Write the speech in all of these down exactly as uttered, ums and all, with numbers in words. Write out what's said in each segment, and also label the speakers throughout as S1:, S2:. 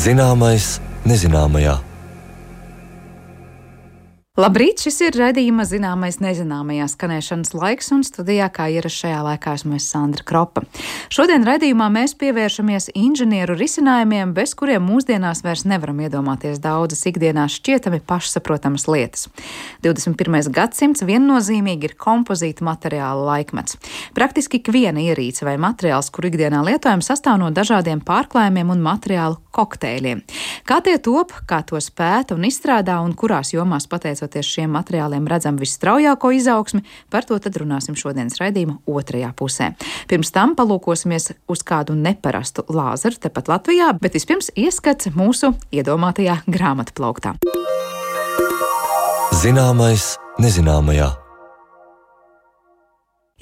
S1: Zināmais nezināmajā.
S2: Labrīt, šis ir raidījuma Zināmais nezināmajā skanēšanas laiks, un studijā kā ierasts šajā laikā esmu es Sandra Kropa. Šodien raidījumā mēs pievēršamies inženieru risinājumiem, bez kuriem mūsdienās vairs nevaram iedomāties daudzas ikdienās šķietami pašsaprotamas lietas. divdesmit pirmais gadsimts viennozīmīgi ir kompozīta materiāla laikmets. Praktiski ikviena ierīce vai materiāls, kur ikdienā lietojam, sastāv no dažādiem pārklājumiem un materiālu kokteļiem. Kā tie top, kā tos pēta un izstrādā un kurās jomās pateicoties šiem materiāliem redzam visstraujāko izaugsmi, par to tad runāsim šodienas raidījuma otrajā pusē. Pirms tam palūkosimies uz kādu neparastu lāzeru tepat Latvijā, bet vispirms ieskats mūsu iedomātajā grāmatplauktā.
S1: Zināmais nezināmajā.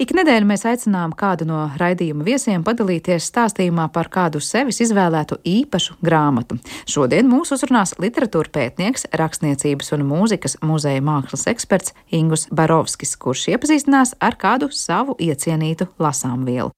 S2: Ik nedēļu mēs aicinām kādu no raidījuma viesiem padalīties stāstījumā par kādu sevis izvēlētu īpašu grāmatu. Šodien mūs uzrunās literatūra pētnieks, rakstniecības un mūzikas muzeja mākslas eksperts Ingus Barovskis, kurš iepazīstinās ar kādu savu iecienītu lasāmvielu.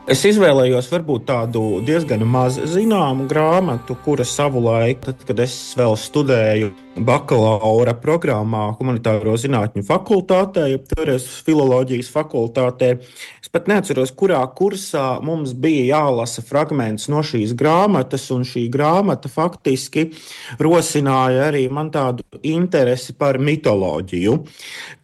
S3: Es izvēlējos varbūt tādu diezgan maz zināmu grāmatu, kura savulaik, tad, kad es vēl studēju bakalaura programmā humanitāro zinātņu fakultātē, ja toreiz filoloģijas fakultātē, es pat neatceros, kurā kursā mums bija jālasa fragments no šīs grāmatas, un šī grāmata faktiski rosināja arī man tādu interesi par mitoloģiju.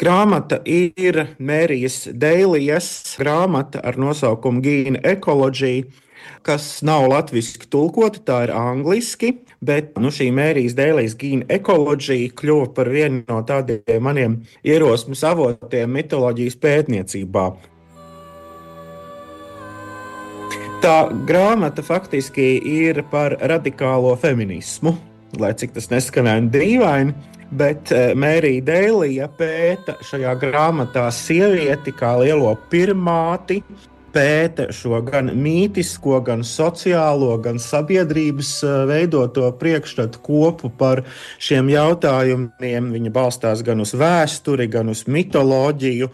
S3: Grāmata ir Mērijas Deilijas grāmata ar nosaukumu Gene Ecology, kas nav latviski tulkota, tā ir angliski, bet nu, šī Mērijas Deilijas Gene Ecology kļuva par vienu no tādiem maniem ierosmes avotiem mitoloģijas pētniecībā. Tā grāmata faktiski ir par radikālo feminismu, lai cik tas neskanētu dīvaini, bet Mērija Deilija pēta šajā grāmatā sievieti kā lielo pirmāti, pēta šo gan mītisko, gan sociālo, gan sabiedrības veidoto priekšstatu kopu par šiem jautājumiem. Viņa balstās gan uz vēsturi, gan uz mitoloģiju.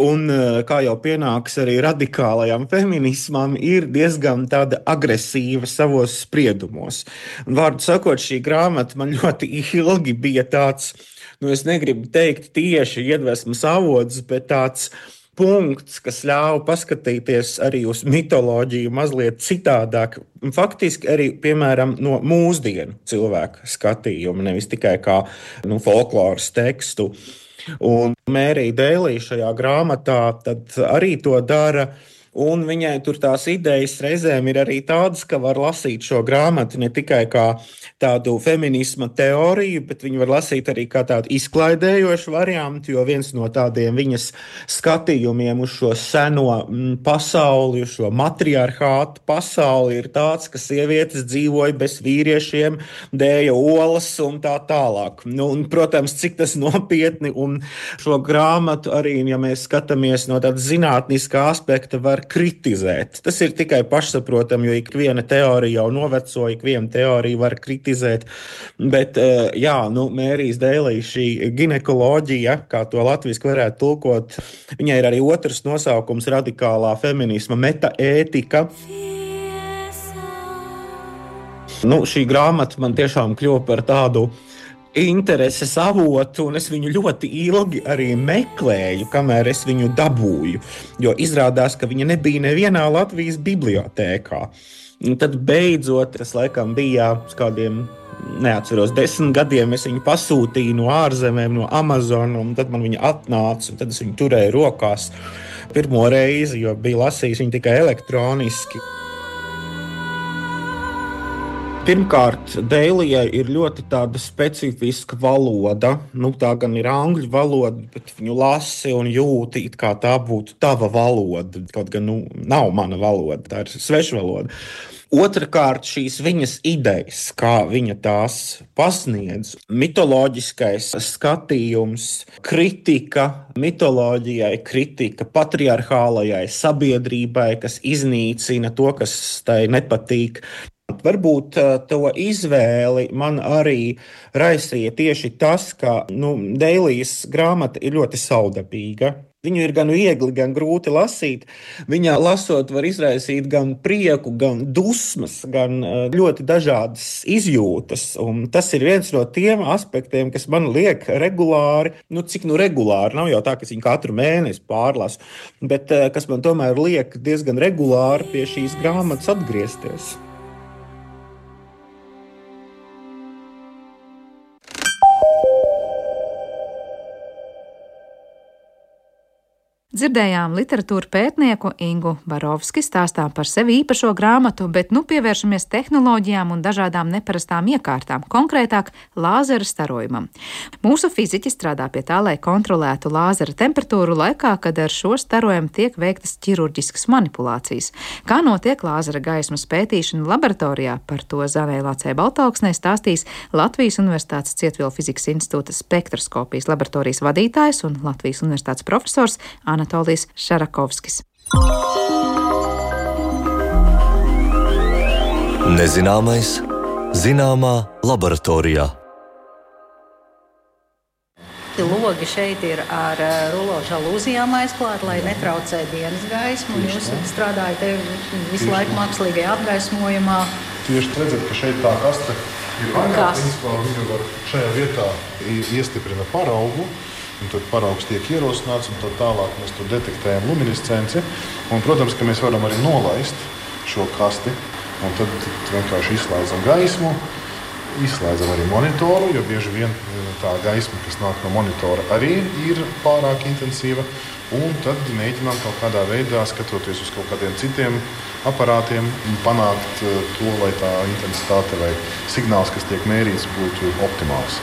S3: Un, kā jau pienāks arī radikālajam feminismam, ir diezgan tāda agresīva savos spriedumos. Un, vārdu sakot, šī grāmata man ļoti ilgi bija tāds, nu es negribu teikt tieši iedvesmas avots, bet tāds punkts, kas ļauj paskatīties arī uz mitoloģiju mazliet citādāk. Faktiski arī, piemēram, no mūsdienu cilvēku skatījuma, nevis tikai kā nu, folkloras tekstu. Un Mērija Deilija šajā grāmatā tad arī to dara. Un viņai tur tās idejas reizēm ir arī tādas, ka var lasīt šo grāmatu ne tikai kā tādu feminisma teoriju, bet viņu var lasīt arī kā tādu izklaidējošu variantu, jo viens no tādiem viņas skatījumiem uz šo seno m, pasauli, uz šo matriarchātu pasauli ir tāds, ka sievietes dzīvoja bez vīriešiem, dēja olas un tā tālāk. Nu, un, protams, cik tas nopietni, un šo grāmatu arī, ja mēs skatāmies no tāda zinātniskā aspekta, var kritizēt. Tas ir tikai pašsaprotami, jo ikviena teorija jau noveco, ikviena teorija var kritizēt. Bet, jā, nu, Mērijas Deilija šī ginekoloģija, kā to latviski varētu tulkot, viņai ir arī otrs nosaukums radikālā feminisma metaētika. Nu, šī grāmata man tiešām kļuva par tādu intereses avotu, un es viņu ļoti ilgi arī meklēju, kamēr es viņu dabūju, jo izrādās, ka viņa nebija nevienā Latvijas bibliotēkā. Un tad beidzot, tas laikam bija uz kādiem, neatceros, desmit gadiem, es viņu pasūtīju no ārzemēm, no Amazon, un tad man viņa atnāca, un tad es viņu turēju rokās pirmo reizi, jo biju lasījis viņu tikai elektroniski. Pirmkārt, Deilijai ir ļoti tāda specifiska valoda. Nu, tā gan ir angļu valoda, bet viņu lasi un jūti, it kā tā būtu tava valoda. Kaut gan nu, nav mana valoda, tā ir svešvaloda. Otrakārt, šīs viņas idejas, kā viņa tās pasniedz, mitoloģiskais skatījums, kritika mitoloģijai, kritika patriarchālajai sabiedrībai, kas iznīcina to, kas tai nepatīk. Varbūt to izvēli man arī raisīja tieši tas, ka nu, Deilijas grāmata ir ļoti saudabīga. Viņu ir gan viegli, gan grūti lasīt. Viņā lasot var izraisīt gan prieku, gan dusmas, gan ļoti dažādas izjūtas. Un tas ir viens no tiem aspektiem, kas man liek regulāri, nu cik nu regulāri, nav jau tā, ka es viņu katru mēnesi pārlasu, bet kas man tomēr liek diezgan regulāri pie šīs grāmatas atgriezties.
S2: Dzirdējām literatūru pētnieku Ingu Barovski stāstām par sevi īpašo grāmatu, bet nu pievēršamies tehnoloģijām un dažādām neparastām iekārtām, konkrētāk lāzera starojumam. Mūsu fiziķi strādā pie tā, lai kontrolētu lāzera temperatūru laikā, kad ar šo starojumu tiek veiktas ķirurģiskas manipulācijas. Kā notiek lāzera gaismas pētīšana laboratorijā, par to Zanai Lācei Baltauksnei stāstīs Latvijas Universitātes Cietvielu fizikas institūta spektroskopijas laboratorijas vadītājs un Latvijas Universitātes profesors Anatolijs Šarakovskis.
S1: Nezināmais zināmā laboratorijā.
S4: Logi šeit ir ar rulo žalūzijām aizklāti, lai netraucē dienas gaismu. Jūs strādājat visu laiku mākslīgajā apgaismojumā.
S5: Tieši redzat, ka šeit tā kaste ir vaļā. Principā viņu var šajā vietā iestiprina paraugu. Un tad paraugs tiek ierosināts, un tad tālāk mēs tur detektējam luminescenci. Un, protams, ka mēs varam arī nolaist šo kasti, un tad vienkārši izslēdzam gaismu, izslēdzam arī monitoru, jo bieži vien tā gaisma, kas nāk no monitora, arī ir pārāk intensīva. Un tad mēģinām kaut kādā veidā, skatoties uz kaut kādiem citiem aparātiem, panākt to, lai tā intensitāte vai signāls, kas tiek mērīts, būtu optimāls.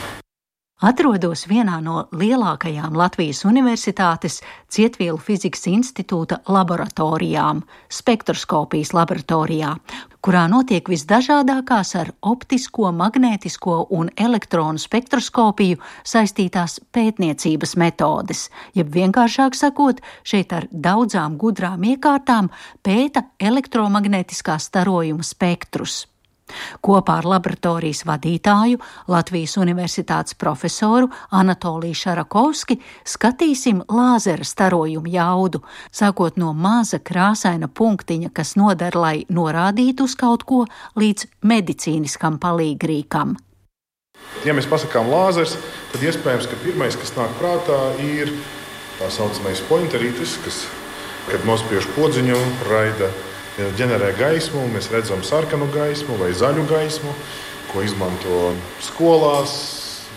S4: Atrodos vienā no lielākajām Latvijas Universitātes Cietvielu fizikas institūta laboratorijām, spektroskopijas laboratorijā, kurā notiek visdažādākās ar optisko, magnētisko un elektronu spektroskopiju saistītās pētniecības metodes, jeb vienkāršāk sakot, šeit ar daudzām gudrām iekārtām pēta elektromagnētiskā starojuma spektrus. Kopā ar laboratorijas vadītāju, Latvijas Universitātes profesoru Anatoliju Šarakovski skatīsim lāzera starojumu jaudu, sākot no maza krāsaina punktiņa, kas noder, lai norādītu uz kaut ko, līdz medicīniskam palīgrīkam.
S5: Ja mēs pasakām lāzers, tad iespējams, ka pirmais, kas nāk prātā, ir tā saucamais pointerītis, kas, kad nospiež podziņu, raida ģenerē gaismu, mēs redzam sarkanu gaismu vai zaļu gaismu, ko izmanto skolās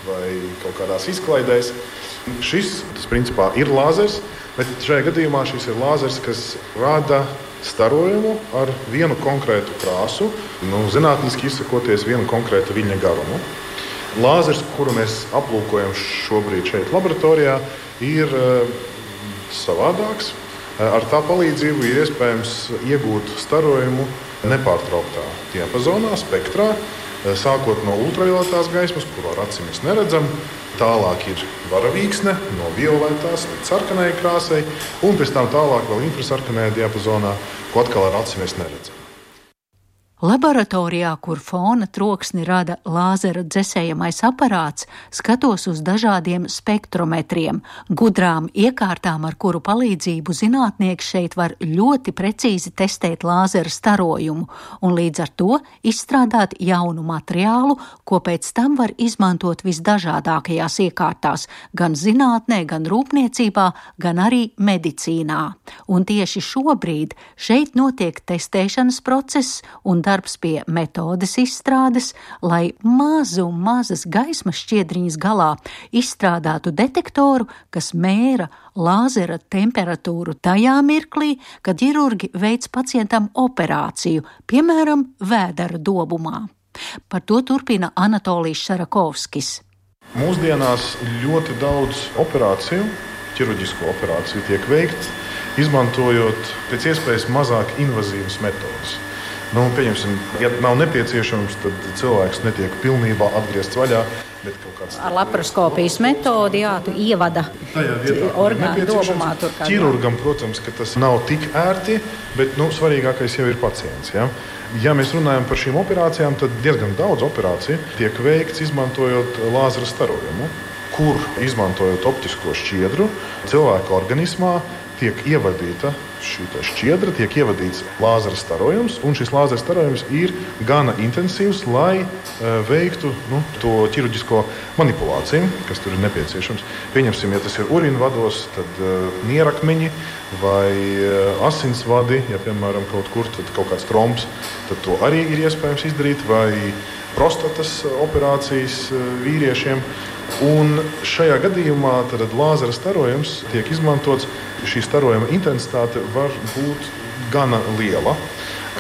S5: vai kaut kādās izklaidēs. Šis, tas principā ir lāzers, bet šajā gadījumā šis ir lāzers, kas rada starojumu ar vienu konkrētu krāsu, nu, zinātniski izsakoties vienu konkrētu viļņa garumu. Lāzers, kuru mēs aplūkojam šobrīd šeit laboratorijā, ir savādāks. Ar tā palīdzību ir iespējams iegūt starojumu nepārtrauktā diapazonā, spektrā, sākot no ultravioletās gaismas, kuru ar acīm mēs neredzam, tālāk ir varavīksne no violetās līdz sarkanai krāsai, un pēc tam tālāk vēl infrasarkanajā diapazonā, ko atkal ar acīm mēs neredzam.
S4: Laboratorijā, kur fona troksni rada lāzera dzesējamais aparāts, skatos uz dažādiem spektrometriem, gudrām iekārtām, ar kuru palīdzību zinātnieki šeit var ļoti precīzi testēt lāzera starojumu un līdz ar to izstrādāt jaunu materiālu, ko pēc tam var izmantot visdažādākajās iekārtās, gan zinātnē, gan rūpniecībā, gan arī medicīnā. Un tieši šobrīd šeit notiek testēšanas process un darbs pie metodes izstrādes, lai mazu, mazas gaismas šķiedriņas galā izstrādātu detektoru, kas mēra lāzera temperatūru tajā mirklī, kad ķirurgi veic pacientam operāciju, piemēram, vēdera dobumā. Par to turpina Anatolijs Šarakovskis.
S5: Mūsdienās ļoti daudz operāciju, ķirurģisko operāciju tiek veikts, izmantojot pēc iespējas mazāk invazīvas metodas. Nu, pieņemsim, ja nav nepieciešams, tad cilvēks netiek pilnībā atgriezts vaļā. Bet kaut kāds
S4: ar laparoskopijas metodi, jā, tu ievada orgānu dobumā.
S5: Ķirurgam, protams, ka tas nav tik ērti, bet nu, svarīgākais jau ir pacients. Ja? Ja mēs runājam par šīm operācijām, tad diezgan daudz operāciju tiek veikts izmantojot lāzera starojumu, kur izmantojot optisko šķiedru cilvēka organismā tiek ievadīta šī šķiedra, tiek ievadīts lāzera starojums, un šis lāzera starojums ir gana intensīvs, lai uh, veiktu nu, to ķirurģisko manipulāciju, kas tur ir nepieciešams. Pieņemsim, ja tas ir urīna vados, tad uh, nierakmeņi vai uh, asinsvadi, ja piemēram kaut kur tad kaut kāds tromps, tad to arī ir iespējams izdarīt, vai prostatas operācijas uh, vīriešiem. Un šajā gadījumā tad lāzera starojums tiek izmantots. Šī starojuma intensitāte var būt gana liela.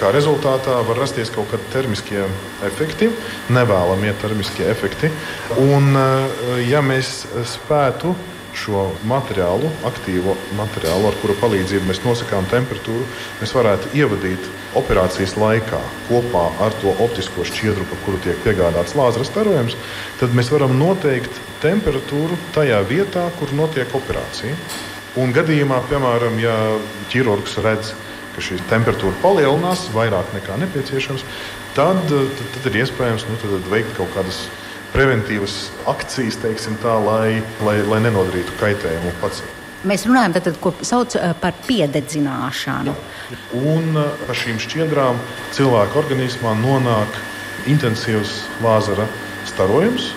S5: Kā rezultātā var rasties kaut kādi termiskie efekti, nevēlamie termiskie efekti. Un, ja mēs spētu šo materiālu, aktīvo materiālu, ar kuru palīdzību mēs nosakām temperatūru, mēs varētu ievadīt operācijas laikā kopā ar to optisko šķiedru, pa kuru tiek piegādāts lāzera starojums, tad mēs varam noteikt temperatūru tajā vietā, kur notiek operācija. Un gadījumā, piemēram, ja ķirurgs redz, ka šī temperatūra palielinās vairāk nekā nepieciešams, tad, tad, tad ir iespējams nu, tad veikt kaut kādas preventīvas akcijas, teiksim tā, lai, lai, lai nenodarītu kaitējumu pacientam.
S4: Mēs runājam tad, ko sauc par piededzināšanu.
S5: Jā. Un ar šīm šķiedrām cilvēka organismā nonāk intensīvs lāzera starojums.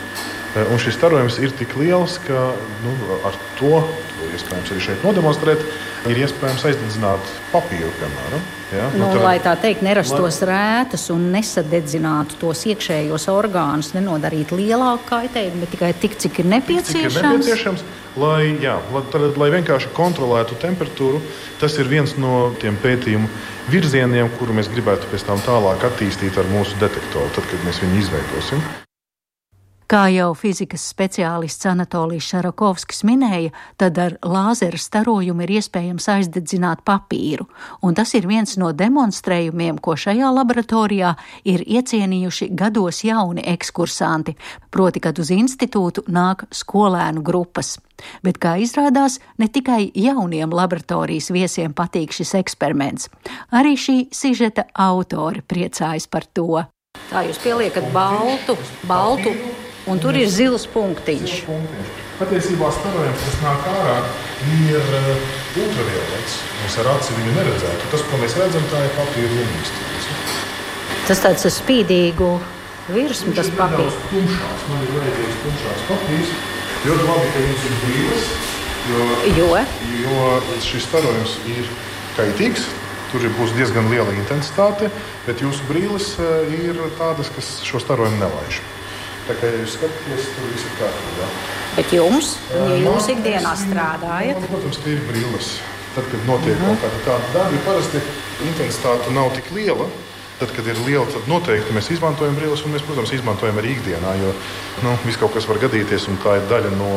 S5: Un šis starojums ir tik liels, ka nu, ar to, to iespējams arī šeit nodemonstrēt, ir iespējams aizdedzināt papīru, piemēram. Ja?
S4: Nu, nu, tad, lai tā teikt, nerastos lai... rētas un nesadedzinātu tos iekšējos orgānus, nenodarīt lielāku kaitējumu, bet tikai tik, cik ir nepieciešams.
S5: Cik ir nepieciešams lai, jā, lai, tad, lai vienkārši kontrolētu temperatūru. Tas ir viens no tiem pētījumu virzieniem, kuru mēs gribētu pēc tam tālāk attīstīt ar mūsu detektoru, tad, kad mēs viņu izveidosim.
S4: Kā jau fizikas speciālists Anatolijs Šarakovskis minēja, tad ar lāzera starojumu ir iespējams aizdedzināt papīru, un tas ir viens no demonstrējumiem, ko šajā laboratorijā ir iecienījuši gados jauni ekskursanti, proti, kad uz institūtu nāk skolēnu grupas. Bet, kā izrādās, ne tikai jauniem laboratorijas viesiem patīk šis eksperiments. Arī šī sižeta autori priecājas par to. Tā jūs pieliekat baltu, baltu. Un tur ir zils punktiņš.
S5: Patiesībā starojums, kas nāk ārā, ir ultraviolets. Mēs ar aci viņu neredzētu. Tas, ko mēs redzam, tā ir papīra lumīgs.
S4: Tas tāds ar spīdīgu virsmu, tas papīrs.
S5: Tumšās, man ir vajadzīgs tumšās papīrs. Ļoti labi, ka jums ir brīles, jo,
S4: jo?
S5: jo šis starojums ir kaitīgs. Tur būs diezgan liela intensitāte, bet jūsu brīles ir tādas, kas šo starojumu nelaiž. Tā kā jūs skatāties, tur viss ir kārtībā.
S4: Bet jums, ja jūs ikdienā strādājat?
S5: Protams, ka ir brīles. Tad, kad notiek mm. kaut kāda tāda darbi, parasti intensitāte nav tik liela. Tad, kad ir liela, tad noteikti mēs izmantojam brīles, un mēs, protams, izmantojam arī ikdienā, jo nu, viss kaut kas var gadīties, un tā ir daļa no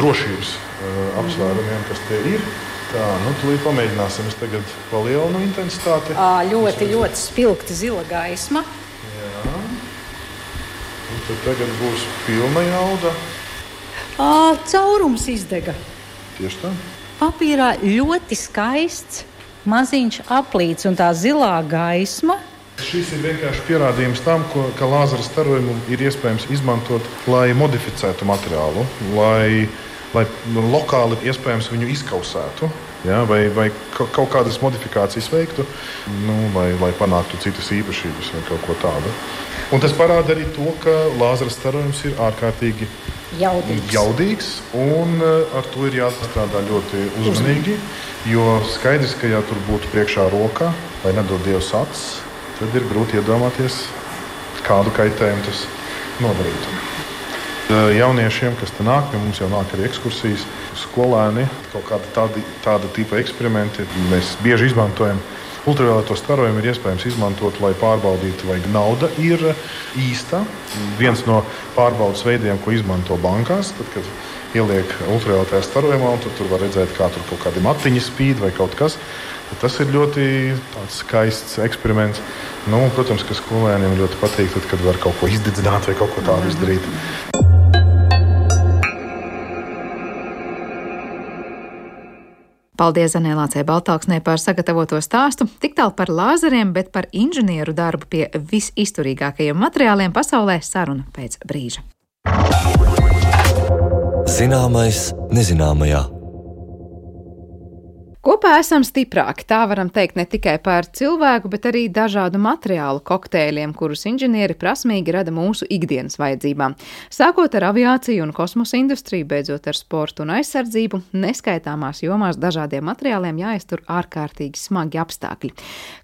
S5: drošības uh, apsvērumiem, kas te ir. Tā, nu, tūlīt pamēģināsim. Es tagad palielinu intensitāti.
S4: À, ļoti, ļoti spilgta zila gaisma.
S5: Jā. Un tad tagad būs pilna jauda.
S4: À, caurums izdega.
S5: Tieši tā.
S4: Papīrā ļoti skaists, maziņš aplīts un tā zilā gaisma.
S5: Šis ir vienkārši pierādījums tam, ko, ka lāzera starojumu ir iespējams izmantot, lai modificētu materiālu, lai, lai lokāli iespējams viņu izkausētu. Ja, vai, vai kaut kādas modifikācijas veiktu, nu, lai, lai panāktu citas īpašības vai kaut ko tādu. Un tas parāda arī to, ka lāzera starojums ir ārkārtīgi
S4: jaudīgs,
S5: jaudīgs un ar to ir jāstrādā ļoti uzmanīgi, jo skaidrs, ka ja tur būtu priekšā rokā vai nedod Dievs acis, tad ir grūti iedomāties, kādu kaitējumu tas nodarītu. Jauniešiem, kas te nāk, mums jau nāk arī ekskursijas, skolēni, kaut kāda tāda, tāda tipa eksperimenti. Mēs bieži izmantojam ultravioleto starojumu, ir iespējams izmantot, lai pārbaudītu, vai nauda ir īsta. Viens no pārbaudas veidiem, ko izmanto bankās, tad, kad ieliek ultravioletā starojumā, un tur var redzēt, kā tur kaut kādi matiņi spīd vai kaut kas. Tas ir ļoti skaists eksperiments. Nu, protams, ka skolēniem ļoti patīk, tad, kad var kaut ko izdedzināt vai kaut ko tādu izdarīt.
S2: Paldies Zanē Lācei Baltāksnei par sagatavoto stāstu. Tik tālu par lāzeriem, bet par inženieru darbu pie visizturīgākajiem materiāliem pasaulē saruna pēc brīža.
S1: Zināmais nezināmajā.
S2: Kopā esam stiprāki, tā varam teikt ne tikai par cilvēku, bet arī dažādu materiālu kokteļiem, kurus inženieri prasmīgi rada mūsu ikdienas vajadzībām. Sākot ar aviāciju un kosmosa industriju, beidzot ar sportu un aizsardzību, neskaitāmās jomās dažādiem materiāliem jāiztur ārkārtīgi smagi apstākļi.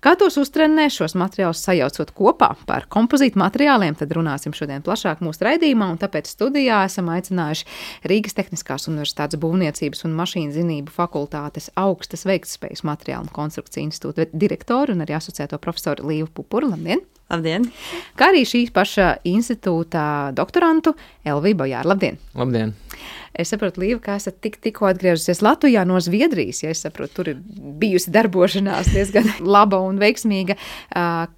S2: Kā tos uztrenē šos materiālus sajaucot kopā par kompozītu materiāliem, tad runāsim šodien plašāk mūsu raidījumā, un tāpēc studijā esam aicinājuši Rīgas Tehniskās universitātes būvniecības un mašīnzinību fakultātes augstu tas veiktspējas materiālu un konstrukciju institūta direktoru un arī asociēto profesoru Līvu Pupuru. Labdien!
S6: Labdien!
S2: Kā arī šī paša institūta doktorantu Elviju Bojāru. Labdien!
S6: Labdien!
S2: Es saprotu, Līva, ka esat tik, tikko atgriezusies Latvijā no Zviedrijas, ja es saprotu, tur ir bijusi darbošanās diezgan laba un veiksmīga.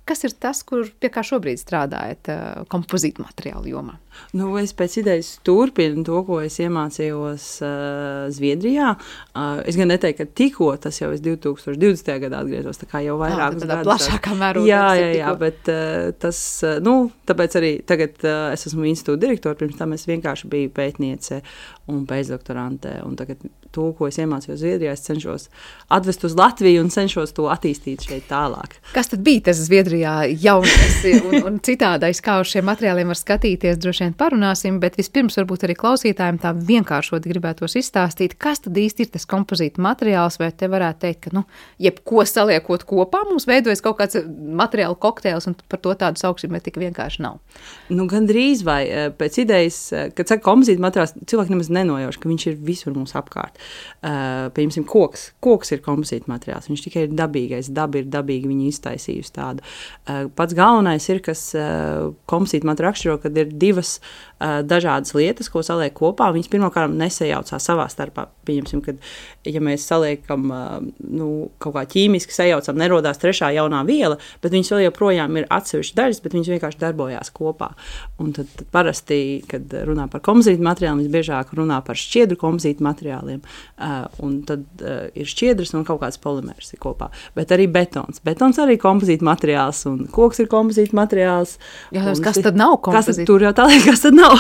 S2: Kas ir tas, kur pie kā šobrīd strādājat kompozītu materiālu jomā?
S6: Nu, es pēc idejas turpinu to, ko es iemācījos uh, Zviedrijā. Uh, es gan neteiktu, ka tikko tas jau es divi tūkstoši divdesmitajā gadā atgriezos, tā kā jau vairākus gadus.
S2: Tādā plašākā mērogā.
S6: Jā, jā, jā, bet uh, tas, uh, nu, tāpēc arī tagad uh, es esmu institūta direktora, pirms tam es vienkārši biju pētniece un pēcdoktorante, un tagad to, ko es iemācījos Zviedrijā, es cenšos atvest uz Latviju un cenšos to attīstīt šeit tālāk.
S2: Kas tad bija tas Zviedrijā jaunais un, un citādais, kā uz šiem materiāliem var skatīties, droši vien parunāsim, bet vispirms varbūt arī klausītājiem tā vienkāršot gribētos izstāstīt, kas tad īsti ir tas kompozīta materiāls, vai te varētu teikt, ka, nu, jebko saliekot kopā, mums veidojas kaut kāds materiālu kokteils, un par to tādu sauksim, bet tik vienkārši nav.
S6: Nu, gandrīz vai pēc idejas, kad saka kompozīta materiāls, cilvēki nemaz nenojauš, ka viņš ir visur mums apkārt. Uh, pieņemsim, koks. Koks ir kompozīta materiāls, viņš tikai ir dabīgais, daba ir dabīgi viņu iztaisījusi tādu. Uh, pats galvenais ir, kas uh, kompozīta materiālu raksturo, kad ir divas uh, dažādas lietas, ko saliek kopā, viņas pirmkārt nesajaucās savā starpā. Pieņemsim, kad, ja mēs saliekam, uh, nu, kaut kā ķīmiski sajaucam, nerodās trešā jaunā viela, bet viņas vēl joprojām ir atsevišķi daļas, bet viņas vienkārši darbojās kopā. Un tad, tad parasti, kad runā par kompozītu materiāliem, visbiežāk runā par šķiedru kompozītu materiāliem. Uh, un tad uh, ir šķiedras un kaut kāds polimērs ir kopā. Bet arī betons. Betons arī kompozīta materiāls un koks ir kompozīta materiāls.
S2: Jā, un, kas tad nav kompozīta?
S6: Tur jau tā liek, kas tad nav.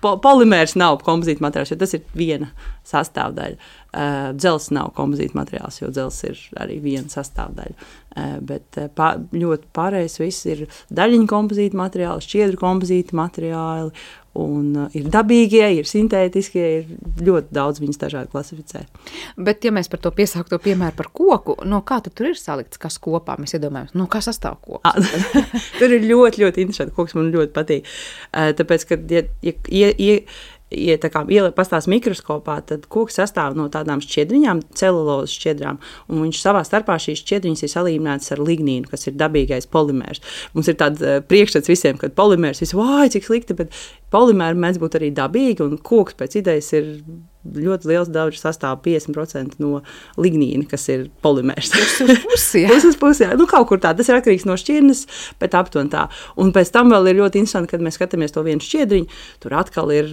S6: Po, polimērs nav kompozīta materiāls, jo tas ir viena sastāvdaļa. Uh, dzels nav kompozīta materiāls, jo dzels ir arī viena sastāvdaļa. Uh, bet uh, pā, ļoti pārējais viss ir daļiņu kompozīta materiāli, šķiedru kompozīta materiāli, un uh, ir dabīgie, ir sintētiskie, ir ļoti daudz viņas dažādi klasificē.
S2: Bet, ja mēs par to piesākto piemēru par koku, no kā tu tur ir salikts, kas kopā, mēs iedomājamies, no kā sastāv koks?
S6: Ah, tur ir ļoti, ļoti interesanti, koks man ļoti patīk. Uh, tāpēc, ka, ja, ja, ja, ja Ja tā kā pastāst mikroskopā, tad koks sastāv no tādām šķiedriņām, celulozes šķiedrām, un viņš savā starpā šīs šķiedriņas ir salīminātas ar lignīnu, kas ir dabīgais polimērs. Mums ir tāds priekšstats visiem, ka polimērs visu, vāj, cik slikti, bet polimēri mēdz būt arī dabīgi, un koks pēc idejas ir ļoti liels daudz sastāv piecdesmit procenti no lignīna, kas ir polimērs.
S2: Pusi uz pusi, jā.
S6: Pusi uz pusi, jā. Nu, kaut kur tā. Tas ir atkarīgs no šķirnes, bet aptuveni tā. Un pēc tam vēl ir ļoti interesanti, kad mēs skatāmies to vienu šķiedriņu, tur atkal ir,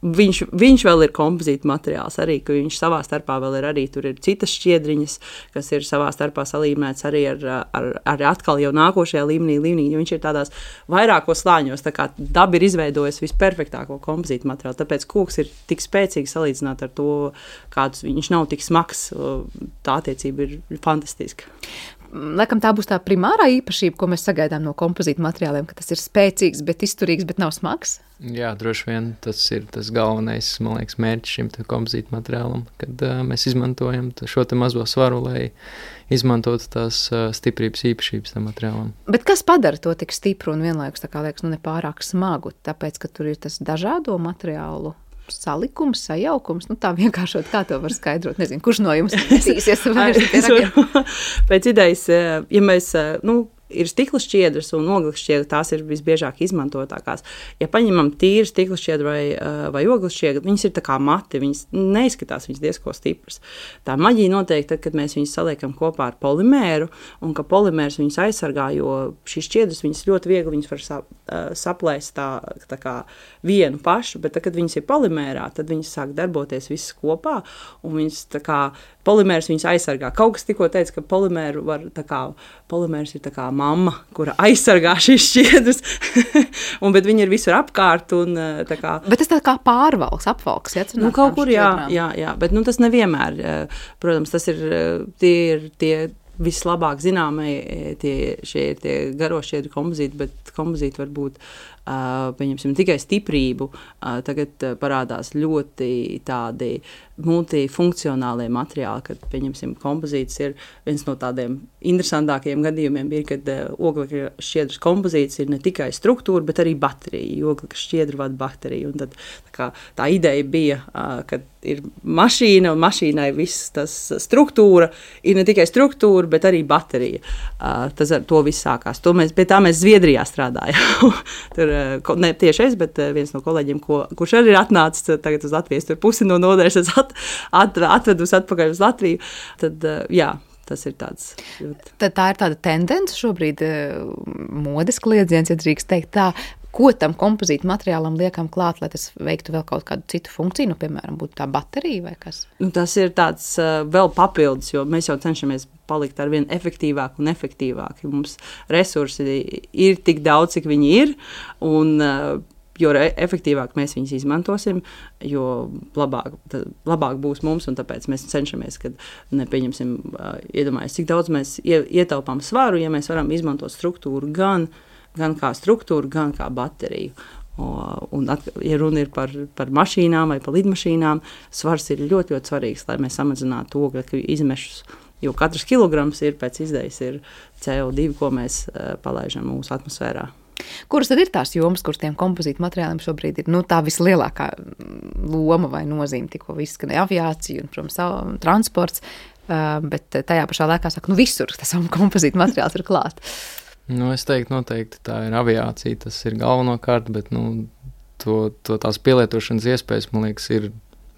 S6: viņš, viņš vēl ir kompozīta materiāls arī, ka viņš savā starpā vēl ir arī, tur ir citas šķiedriņas, kas ir savā starpā salīmēts arī ar, ar, ar atkal jau nākošajā līmenī, līmenī, jo viņš ir tādās vairākos slāņos, tā kā daba ir izveidojusi visperfektāko kompozīta materiālu, tāpēc koks ir tik spēcīgi salīdzināt ar to, kādus viņš nav tik smags, tā attiecība ir fantastiska.
S2: Laikam tā būs tā primārā īpašība, ko mēs sagaidām no kompozīta materiāliem, ka tas ir spēcīgs, bet izturīgs, bet nav smags?
S7: Jā, droši vien tas ir tas galvenais, man liekas, mērķis šim kompozīta materiālam, kad uh, mēs izmantojam šo te mazo svaru, lai izmantotu tās uh, stiprības īpašības tam materiālam.
S2: Bet kas padara to tik stipru un vienlaikus, tā kā liekas, nu nepārāk smagu, tāpēc, ka tur ir tas dažādo materiālu salikums, sajaukums, nu tā vienkāršot, kā to var skaidrot? Nezinu, kurš no jums cīsies vairs?
S6: Pēc idejas, ja mēs, nu, ir stikla šķiedras un ogles šķiedra, tās ir visbiežāk izmantotākās. Ja paņemam tīru stikla šķiedru vai, vai ogles šķiedru, viņas ir tā kā mati, viņas neizskatās, viņas diezko stipras. Tā maģija notiek tad, kad mēs viņas saliekam kopā ar polimēru, un ka polimērs viņas aizsargā, jo šīs šķiedras viņas ļoti viegli viņas var sap, saplēst tā, tā kā vienu pašu, bet tad, kad viņas ir polimērā, tad viņas sāk darboties visas kopā, un viņas tā kā polimērs viņas aizsargā. Kaut kas tikko teica, ka polimēru var, tā kā, polimērs ir tā kā mamma, kura aizsargā šīs šķiedras, un, bet viņi ir visur apkārt. Un, tā kā,
S2: bet tas tā kā pārvalks, apvalks, ja?
S6: Nu, kaut kur, jā, jā, jā, bet nu, tas nevienmēr. Protams, tas ir tie, ir tie vislabāk zināmie, tie, šie ir tie garošķiedri kompozīti, bet kompozīti var būt Uh, pieņemsim, tikai stiprību, uh, tagad uh, parādās ļoti tādi multifunkcionālie materiāli, kad, pieņemsim, kompozīts ir viens no tādiem interesantākajiem gadījumiem, ir, kad uh, oglekļa šķiedras kompozīts ir ne tikai struktūra, bet arī baterija, jo oglekļa šķiedra vada bateriju, un tad tā, kā, tā ideja bija, uh, kad ir mašīna, un mašīnai viss tas struktūra, ir ne tikai struktūra, bet arī baterija. Uh, tas ar to viss sākās. To mēs, pie tā mēs Zviedrijā strādājām. Tur ne tieši es, bet viens no kolēģiem, ko, kurš arī ir atnācis tagad uz Latvijas, tur pusi no nodaļas at, at, atvedus atpakaļ uz Latviju, tad jā, tas ir tāds.
S2: Tad tā ir tāda tendence šobrīd, modes kliedziens, ja drīkst teikt tā, ko tam kompozītu materiālam liekam klāt, lai tas veiktu vēl kaut kādu citu funkciju, nu, piemēram, būtu tā baterija vai kas?
S6: Nu, tas ir tāds uh, vēl papildus, jo mēs jau cenšamies palikt ar vien efektīvāk un efektīvāk. Mums resursi ir tik daudz, cik viņi ir, un uh, jo efektīvāk mēs viņus izmantosim, jo labāk, labāk būs mums, un tāpēc mēs cenšamies, kad nepieņemsim, uh, iedomājies, cik daudz mēs ietaupām svaru, ja mēs varam izmantot struktūru gan gan kā struktūru, gan kā bateriju. Un, ja runa ir par, par mašīnām vai par lidmašīnām, svars ir ļoti, ļoti svarīgs, lai mēs samazinātu oglekļa izmešus, jo katrs kilograms ir pēc izdejas ir C O divi, ko mēs uh, palaižam mūsu atmosfērā.
S2: Kuras tad ir tās jomas, kuras tiem kompozītu materiāliem šobrīd ir nu, tā vislielākā loma vai nozīme, tikko izskanēja aviācija un, protams, transports, uh, bet tajā pašā laikā saka, nu visur tas kompozītu materiāls ir klāt.
S7: Nu, es teiktu, noteikti tā ir aviācija, tas ir galvenokārt, bet nu, to, to tās pielietošanas iespējas, man liekas, ir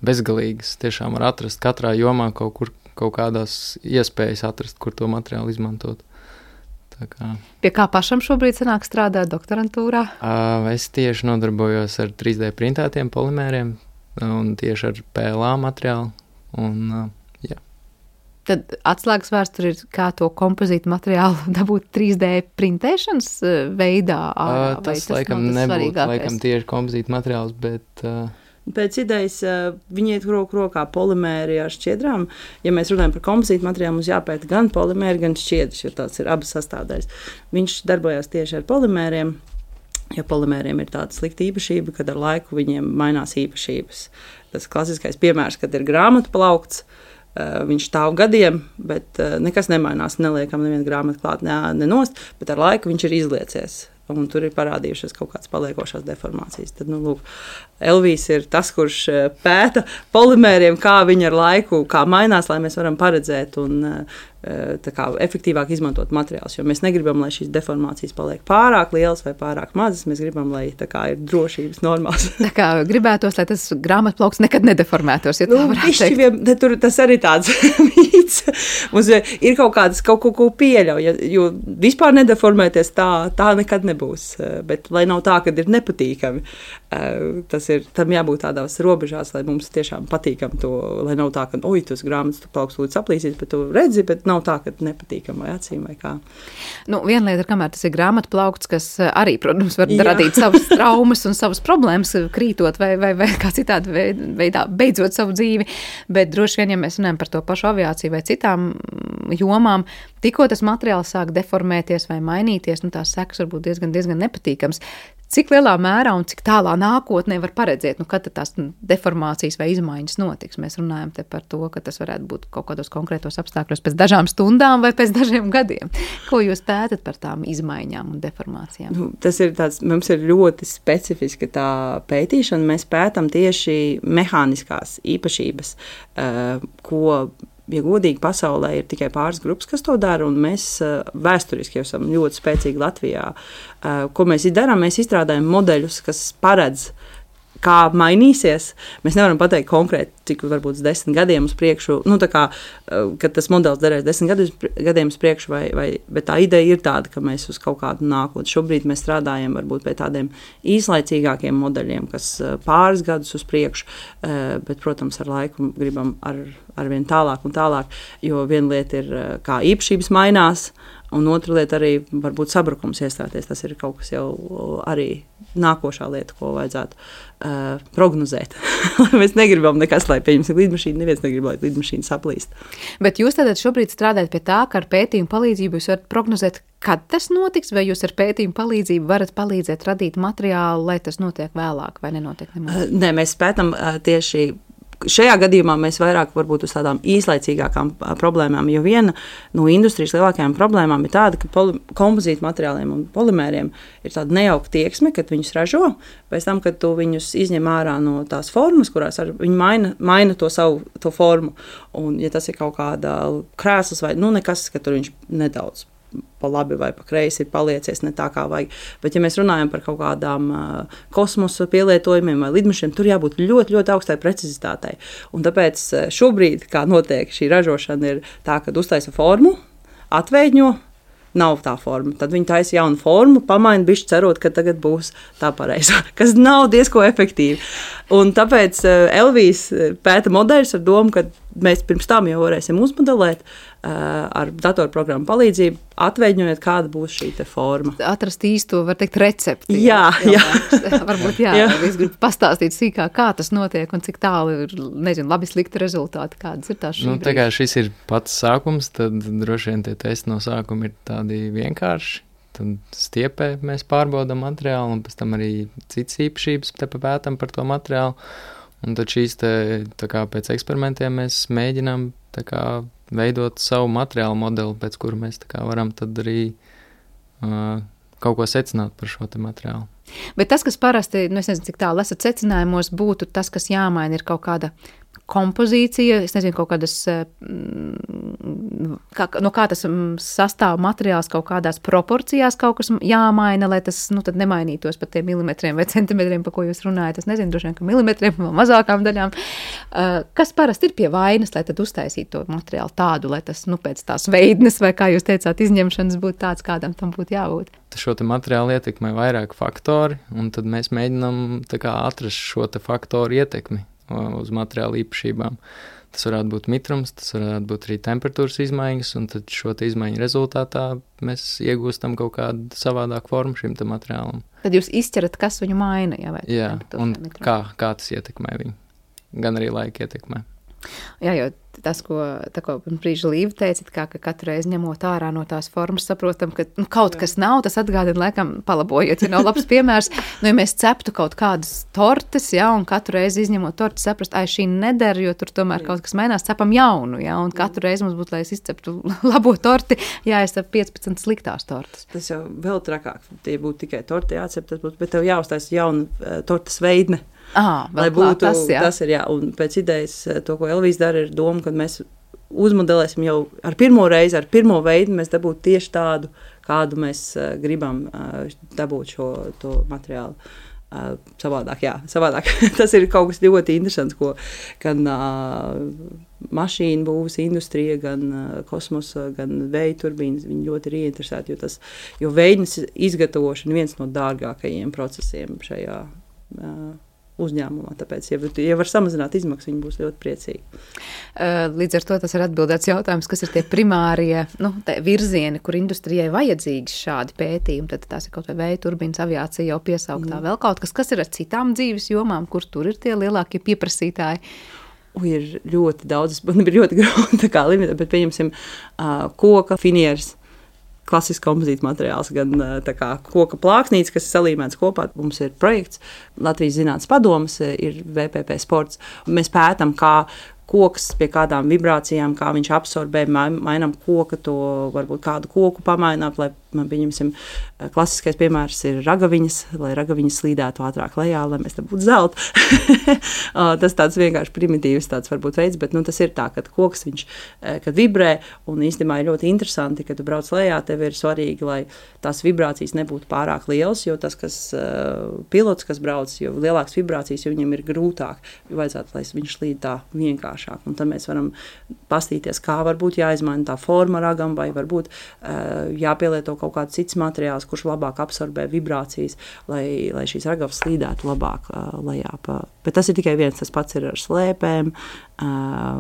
S7: bezgalīgas. Tiešām var atrast katrā jomā kaut kur, kaut kādās iespējas atrast, kur to materiālu izmantot. Tā kā.
S2: Pie kā pašam šobrīd sanāk strādāt doktorantūrā?
S7: Uh, es tieši nodarbojos ar trīs D printētiem polimēriem un tieši ar P L A materiālu. Un, uh, jā.
S2: Tad atslēgas vārds tur ir, kā to kompozītu materiālu dabūt trīs D printēšanas veidā.
S7: Uh, tas, tas laikam nebūtu laikam tieši kompozītu materiāls, bet... Uh,
S6: Pēc idejas viņi iet roku rokā polimēri ar šķiedrām. Ja mēs runājam par kompozītu materiālu, mums jāpēta gan polimēri, gan šķiedras, jo tāds ir abas sastāvdaļas. Viņš darbojās tieši ar polimēriem, jo polimēriem ir tāda slikta īpašība, kad ar laiku viņiem mainās īpašības. Tas klasiskais piemērs, kad ir grāmatu plaukts, viņš stāv gadiem, bet nekas nemainās, neliekam nevienu grāmatu klāt, ne, nenost, bet ar laiku viņš ir izliecies. Un tur ir parādījušas kaut kādas paliekošās deformācijas. Tad, nu, lūk, Elvijs ir tas, kurš pēta polimēriem, kā viņi ar laiku, kā mainās, lai mēs varam paredzēt un tā kā efektīvāk izmantot materiālus, jo mēs negribam, lai šīs deformācijas paliek pārāk lielas vai pārāk mazas, mēs gribam, lai tā kā ir drošības normās.
S2: Tā kā gribētos, lai tas grāmatplauks nekad nedeformētos, ja tā
S6: nu,
S2: varētu teikt.
S6: Vien, tur, tas arī tāds mīts. Mums ir kaut kādas kaut ko, ko pieļauj, jo vispār nedeformēties tā, tā nekad nebūs, bet lai nav tā, kad ir nepatīkami, tas ir, tam jābūt tādās robežās, lai mums tiešām patīkam to, lai nav tā, ka, oj, tas grāmatplauks lūdzu saplīsīs, bet tu redzi, bet nav tā, ka nepatīkam vai acīm vai kā.
S2: Nu, viena lieta ir, kamēr tas ir grāmatplaukts, kas arī, protams, var Jā. radīt savas traumas un savas problēmas, krītot vai, vai, vai kā citādi veidā beidzot savu dzīvi, bet droši vien, ja mēs runājam par to pašu aviāciju vai citām jomām, tikko tas materiāls sāk deformēties vai mainīties, nu tās sekas var būt diezgan, diezgan nepatīkams. Cik lielā mērā un cik tālā nākotnē var paredzēt, nu, kad tās deformācijas vai izmaiņas notiks? Mēs runājam te par to, ka tas varētu būt kaut kādos konkrētos apstākļos pēc dažām stundām vai pēc dažiem gadiem. Ko jūs pētat par tām izmaiņām un deformācijām?
S6: Nu, tas ir tāds, mums ir ļoti specifiska tā pētīšana. Mēs pētam tieši mehāniskās īpašības, ko ja godīgi, pasaulē ir tikai pāris grupas, kas to dara, un mēs uh, vēsturiski jau esam ļoti spēcīgi Latvijā. Uh, ko mēs darām? Mēs izstrādājam modeļus, kas paredz, kā mainīsies. Mēs nevaram pateikt konkrēti, cik varbūt desmit gadiem uz priekšu, nu tā kā, kad tas modelis derēs desmit gadiem uz priekšu, vai, vai, bet tā ideja ir tāda, ka mēs uz kaut kādu nākotni. Šobrīd mēs strādājam varbūt pie tādiem īslaicīgākiem modeļiem, kas pāris gadus uz priekšu, bet, protams, ar laiku gribam ar, ar vien tālāk un tālāk, jo viena lieta ir, kā īpašības mainās, un otra lieta arī varbūt sabrukums iestāties. Tas ir kaut kas jau arī nākošā lieta, ko vajadzētu uh, prognozēt. Mēs negribam nekas, lai pieņemsim lidmašīnu, neviens negrib, lai lidmašīna saplīst.
S2: Bet jūs tātad šobrīd strādājat pie tā, ka ar pētījumu palīdzību jūs varat prognozēt, kad tas notiks, vai jūs ar pētījumu palīdzību varat palīdzēt radīt materiālu, lai tas notiek vēlāk vai nenotiek nemaz?
S6: Uh, nē, mēs pētam uh, tieši šajā gadījumā mēs vairāk varbūt uz tādām īslaicīgākām problēmām, jo viena no industrijas lielākajām problēmām ir tāda, ka poli, kompozītu materiāliem un polimēriem ir tāda nejauka tieksme, kad viņus ražo, pēc tam, kad tu viņus izņem ārā no tās formas, kurās ar, viņi maina, maina to savu to formu, un ja tas ir kaut kāda krēsls vai nu nekas, ka tur viņš nedaudz pa labi vai pa kreisi ir paliecies ne tā kā vajag. Bet ja mēs runājam par kaut kādām uh, kosmosa pielietojumiem vai lidmašīnām, tur jābūt ļoti, ļoti augstai precizitātei. Un tāpēc šobrīd, kā notiek šī ražošana, ir tā, ka uztaisa formu, atveidņo, nav tā forma. Tad viņi taisa jaunu formu, pamaina bišķi cerot, ka tagad būs tā pareizā, kas nav diezko efektīvi. Un tāpēc Elvijas pēta modeļus ar domu, ka mēs pirms tam jau varēsim uzmodelēt ar datorprogrammu palīdzību, atveidņojot, kāda būs šī te forma.
S2: Atrast īsto, var teikt, recepti.
S6: Jā, jā.
S2: jā. Varbūt jā, jā. Es gribu pastāstīt sīkāk, kā tas notiek un cik tālu ir, nezinu, labi slikti rezultāti, kādas ir tās šī
S7: nu,
S2: brīdī.
S7: Tā kā šis ir pats sākums, tad droši vien tie testi no sākuma ir tādi vienkārši. Tad stiepē mēs pārbaudam materiālu un pēc tam arī citas īpašības te papētam par to materiālu. Un tad šīs te, tā kā pēc eksperimentiem mēs mēģinām tā kā veidot savu materiālu modeli, pēc kuru mēs tā kā varam tad arī uh, kaut ko secināt par šo te materiālu.
S2: Bet tas, kas parasti, nu es nezinu, cik tālu esat secinājumos, būtu tas, kas jāmaina, ir kaut kāda kompozīcija, es nezinu, kaut kādas, kā, no kā tas sastāv materiāls kaut kādās proporcijās kaut kas jāmaina, lai tas, nu, tad nemainītos pat tiem milimetriem vai centimetriem, pa ko jūs runājat. Es nezinu, droši vien, ka milimetriem vai mazākām daļām. Kas parasti ir pie vainas, lai tad uztaisītu to materiālu tādu, lai tas, nu, pēc tās veidnes vai, kā jūs teicāt, izņemšanas būtu tāds, kādam tam būtu jābūt?
S7: Šo te materiālu ietekmē vairāk faktori, un tad mēs mēģinām tā kā atrast šo te faktoru ietekmi uz materiālu īpašībām. Tas varētu būt mitrums, tas varētu būt arī temperatūras izmaiņas, un tad šo te izmaiņu rezultātā mēs iegūstam kaut kādu savādāku formu šim te materiālam.
S2: Tad jūs izķerat, kas viņu maina, jā, vai?
S7: Jā, un kā, kā tas ietekmē viņu. Gan arī laika ietekmē.
S2: Jā, jo tas, ko, tā, ko brīža Līva teica, kā, ka katru reizi ņemot ārā no tās formas, saprotam, ka nu, kaut kas nav, tas atgādina, laikam, palabojiet, ja nav labs piemērs. Nu, ja mēs ceptu kaut kādas tortes, jā, un katru reizi izņemot torti, saprast, ai, šī neder, jo tur tomēr kaut kas mainās, cepam jaunu, jā, un katru reizi mums būtu, lai es izceptu labo torti, jāizcep piecpadsmit sliktās tortes.
S6: Tas jau vēl trakāk, tie būtu tikai torti jācep, tas būtu, bet tev jāuztais jauna uh, tortes veidne.
S2: Ah,
S6: lai būtu tas, jā. tas ir, jā, un pēc idejas to, ko Elvijas dara, ir doma, kad mēs uzmodelēsim jau ar pirmo reizi, ar pirmo veidu mēs dabūtu tieši tādu, kādu mēs uh, gribam uh, dabūt šo to materiālu. Uh, savādāk, jā, savādāk. Tas ir kaut kas ļoti interesants, ko gan uh, mašīnu būvs industrija, gan uh, kosmosa, gan vēja turbīnas, viņi ļoti ir ieinteresēti, jo tas, jo veidnes izgatavošana viens no dārgākajiem procesiem šajā uh, uzņēmumā, tāpēc, ja, ja var samazināt izmaksas, viņi būs ļoti priecīgi.
S2: Līdz ar to tas ir atbildēts jautājums, kas ir tie primārie nu, virzieni, kur industrijai vajadzīgs šādi pētījumi, tad tās ir kaut vai vēja turbīnas, aviācija jau piesauktā, mm. vēl kaut kas, kas ir ar citām dzīves jomām, kur tur ir tie lielākie pieprasītāji.
S6: U, ir ļoti daudz, man ir ļoti grūti kā limitēt, bet pieņemsim uh, koka, finieres, klasisks kompozīta materiāls, gan tā kā koka plāksnītes, kas ir salīmēts kopā. Mums ir projekts, Latvijas Zinātnes padomes, ir V P P sports. Mēs pētam, kā koks pie kādām vibrācijām, kā viņš absorbē, mainām koka, to varbūt kādu koku pamaināt, lai man pieņemsim, klasiskais piemērs ir ragaviņas, lai ragaviņas slīdētu ātrāk lejā, lai mēs te būtu zelta. Tas tāds vienkārši primitīvs tāds varbūt veids, bet nu, tas ir tā, kad koks viņš, kad vibrē, un īstenībā ir ļoti interesanti, kad tu brauc lejā, tev ir svarīgi, lai tās vibrācijas nebūtu pārāk lielas, jo tas, kas pilots, kas brauc, jo lielākas vibrācijas, jo viņam ir grūtāk, jo vajadzētu, lai viņš slīd tā vienkāršāk, un tad mēs varam pastīties, kā varbūt jāizmaina tā forma ragam, vai varbūt jāpielieto kaut kāds cits materiāls, kurš labāk absorbē vibrācijas, lai, lai šīs ragavas slīdētu labāk uh, lejā. Pa. Bet tas ir tikai viens, tas pats ir ar slēpēm, uh,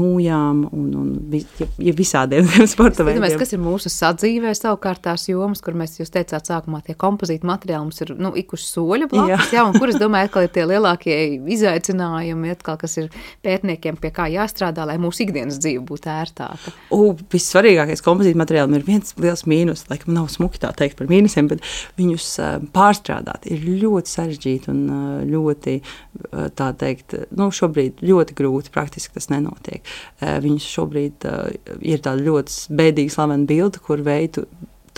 S6: nūjām un, un vis, ja, ja visādiem sporta veidiem.
S2: Kas ir mūsu sadzīvē savukārt tās jomas, kur mēs, jūs teicāt sākumā, tie kompozīti materiāli mums ir, nu, ikuši soļa blakus, jā, un kur es domāju, atkal ir tie lielākie izaicinājumi, atkal, kas ir pētniekiem, pie kā jāstrādā, lai mūsu ikdienas dzīve būtu ērtāka.
S6: U, vissvarīgākais kompozīti materiāli ir viens liels mīnus, laikam nav smuki tā teikt par mīnusiem, bet viņus uh, pārstrādāt ir ļoti sarežģīti un uh, ļoti, uh, tā teikt, nu, šobrīd ļoti grūti, praktiski tas nenotiek. Uh, viņus šobrīd uh, ir tāda ļoti bēdīga slavena bilde, kur veidu